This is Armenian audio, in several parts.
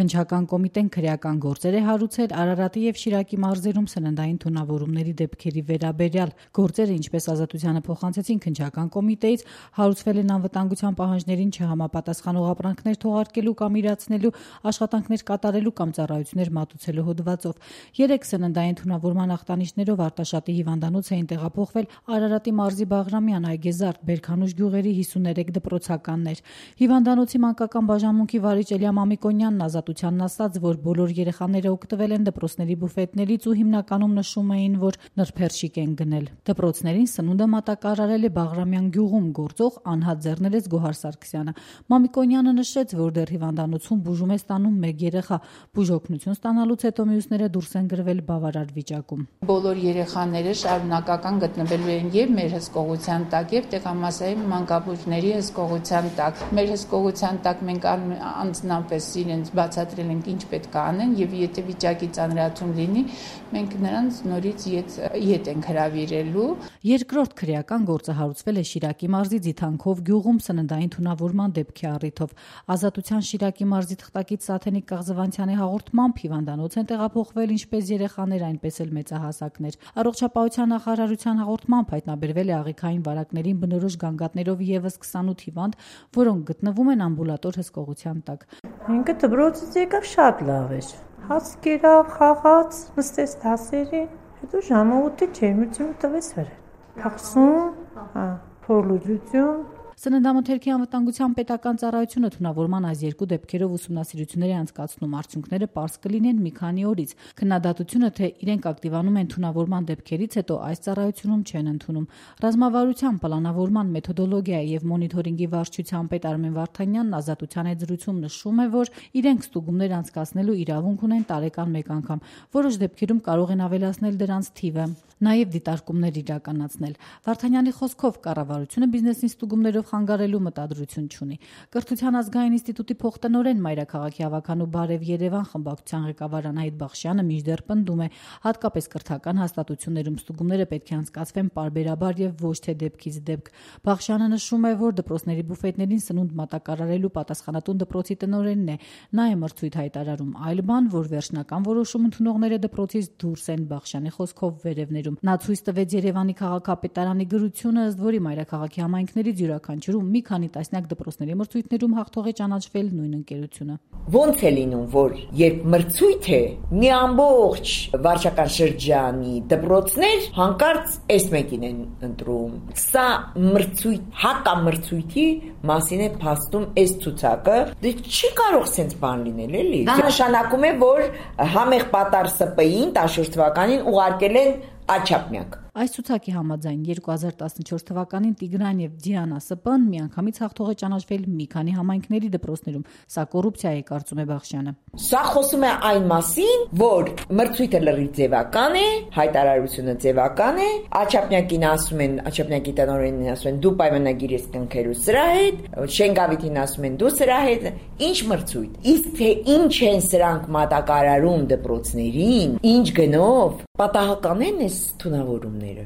Քննչական կոմիտեն քրեական գործեր է հարուցել Արարատի եւ Շիրակի մարզերում սննդային թունավորումների դեպքերի վերաբերյալ։ Գործերը, ինչպես Ազատությանը փոխանցեցին քննչական կոմիտեից, հարուցվել են անվտանգության պահանջներին չհամապատասխանող ապրանքներ թողարկելու կամ իրացնելու, աշխատանքներ կատարելու կամ ծառայություններ մատուցելու հոդվածով։ 3 սննդային թունավորման ախտանիշներով Արտաշատի հիվանդանոց էին տեղափոխվել Արարատի մարզի Բաղրամյան, Այգեզարդ, Բերքանուշ գյուղերի 53 դպրոցականներ։ Հիվանդանոցի մանկական բաժանմունքի վարիչ Էլիա Մամիկոնյանն Ազատությանն ասաց, որ բոլոր երեխաները օգտվել են դպրոցների բուֆետներից ու հիմնականում նշում էին, որ նրբերշիկ են գնել։ Դպրոցներին սնունդը մատակարարել է Բաղրամյան գյուղում գործող անհատ ձեռներեց Գոհար Սարգսյանը։ Մամիկոնյանը նշեց, որ դեռ հիվանդանոցում բուժում է ստանում 1 երեխա։ Բուժօգնություն ստանալուց հետո մյուսները դուրս են գրվել բավարար վիճակում։ Բոլոր երեխաները շարունակական գտնվելու են եւ մեր հսկողության տակ եւ տեղամասային մանկաբույժների հսկողության տակ։ Մեր հսկողության տակ մենք անձնապես իրենց բացատրել ենք ինչ պետք է անեն եւ եթե վիճակի ծանրացում լինի, մենք նրանց նորից ետ ենք հրավիրելու։ Երկրորդ քրեական գործը հարուցվել է Շիրակի մարզի Ձիթանքով գյուղում սննդային թունավորման դեպքի առիթով։ Ազատության Շիրակի մարզի թղթակից Սաթենիկ Կաղզվանցյանի հաղորդմամբ հիվանդանոց են տեղափոխվել ինչպես երեխաներ, այնպես էլ մեծահասակներ։ Առողջապահության նախարարության հաղորդմամբ հայտնաբերվել է աղիքային վարակներին բնորոշ գանգատներով եւս 28 հիվանդ, որոնք գտնվում են ամբուլատոր հսկողության տակ։ Ինքը դպրոցից եկավ շատ լավ էր։ Հաց կերավ, խաղաց, նստեց դասերի, հետո ժամը 8-ը ջերմությունը տվեց վրա։ Փախսում, փորլուծություն։ Սննդամթերքի անվտանգության պետական ծառայությունը թունավորման այս 2 դեպքերով ուսումնասիրություններ է անցկացնում, արդյունքները պարզ կլինեն մի քանի օրից։ Քննադատությունը, թե իրենք ակտիվանում են թունավորման դեպքերից հետո, այս ծառայությունում չեն ընդունում։ Ռազմավարության, պլանավորման, մեթոդոլոգիայի եւ մոնիթորինգի վարչության պետ Արմեն Վարդանյանն Ազատության հետ զրույցում նշում է, որ իրենք ստուգումներ անցկացնելու իրավունք ունեն տարեկան 1 անգամ։ Որոշ դեպքերում կարող են ավելացնել դրանց թիվը, նաեւ դիտարկումներ իրականացնել։ Վարդանյանի խոսքով կառավարությունը բիզնեսին ստուգումներով խանգարելու մտադրություն չունի։ Կրթության ազգային ինստիտուտի փոխտնօրեն Մայրաքաղաքի հավաքանու Բարև Երևան խմբակցության ղեկավար Անահիտ Բախշյանը մինչդեռ պնդում է, հատկապես կրթական հաստատություններում ստուգումները պետք է անցկացվեն պարբերաբար եւ ոչ թե դեպքից դեպք։ Բախշյանը նշում է, որ դպրոցների բուֆետներին սնունդ մատակարարելու պատասխանատուն դպրոցի տնօրենն է։ Նա է մրցույթ հայտարարում, այլ բան, որ վերջնական որոշում ընդունողները դպրոցից դուրս են, Բախշյանի խոսքով վերևներում։ Նա ցույց տվեց Երևանի քաղաքապետարանի գրությունը, ըստ որի Մայրաքաղաքի համայնքներից յուրաքանչյուրում մի քանի տասնյակ դպրոցների մրցույթներում հաղթող է ճանաչվել նույն ընկերությունը։ Ոնց է լինում, որ երբ մրցույթ է, մի ամբողջ վարչական շրջանի դպրոցներ հանկարծ այս մեկին են ընտրում։ Սա մրցույթ, հակամրցույթի մասին է փաստում այս ցուցակը։ Դե չի կարող սենց բան լինել, էլի։ Դա նշանակում է, որ համեղ պատար ՍՊ-ին 14 թվականին ուղարկել են Աչափնյակ։ Այս ցուցակի համաձայն 2014 թվականին Տիգրան եւ Դիանա ՍՊ-ն միանգամից հաղթող է ճանաչվել մի քանի համայնքների դպրոցներում։ Սա կոռուպցիա է, կարծում է Բախշյանը։ Սա խոսում է այն մասին, որ մրցույթը լրիվ ձևական է, հայտարարությունը ձևական է, Աչափնյակին ասում են, Աչափնյակի տնօրենին ասում են՝ դու պայմանագիր ես կնքելու սրա հետ, Շենգավիթին ասում են՝ դու սրա հետ, ինչ մրցույթ։ Իսկ թե ինչ են սրանք մատակարարում դպրոցներին, ինչ գնով, պատահական են այս թունավորումները,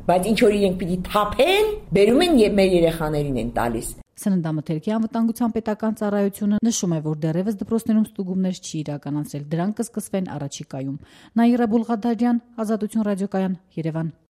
բայց ինչ որ իրենք պիտի թափեն, բերում են եւ մեր երեխաներին են տալիս։ Սննդամթերքի անվտանգության պետական ծառայությունը նշում է, որ դեռևս դպրոցներում ստուգումներ չի իրականացրել, դրանք կսկսվեն առաջիկայում։ Նաիրա Բուլղադարյան, Ազատություն ռադիոկայան, Երևան։